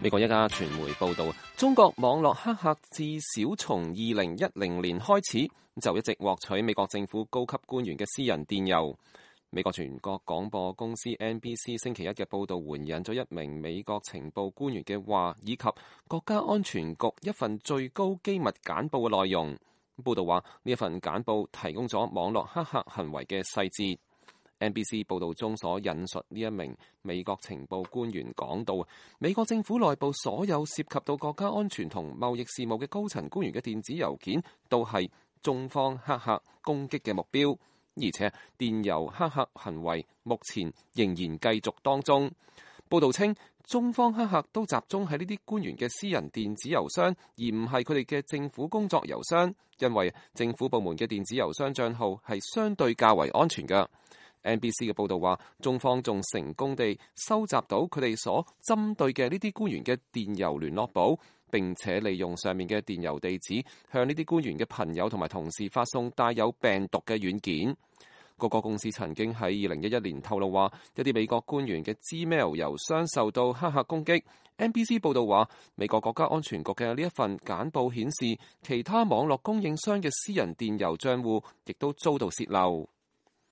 美國一家傳媒報道，中國網絡黑客至少從2010年開始就一直獲取美國政府高級官員嘅私人電郵。美國全國廣播公司 NBC 星期一嘅報導援引咗一名美國情報官員嘅話，以及國家安全局一份最高機密簡報嘅內容。報導話呢一份簡報提供咗網絡黑客行為嘅細節。NBC 報導中所引述呢一名美國情報官員講到，美國政府內部所有涉及到國家安全同貿易事務嘅高層官員嘅電子郵件都係中方黑客攻擊嘅目標，而且電郵黑客行為目前仍然繼續當中。報導稱，中方黑客都集中喺呢啲官員嘅私人電子郵箱，而唔係佢哋嘅政府工作郵箱，因為政府部門嘅電子郵箱帳號係相對較為安全嘅。NBC 嘅報導話，中方仲成功地收集到佢哋所針對嘅呢啲官員嘅電郵聯絡簿，並且利用上面嘅電郵地址向呢啲官員嘅朋友同埋同事發送帶有病毒嘅軟件。各個公司曾經喺2011年透露話，一啲美國官員嘅 Gmail 郵箱受到黑客攻擊。NBC 報導話，美國國家安全局嘅呢一份簡報顯示，其他網絡供應商嘅私人電郵帳戶亦都遭到洩漏。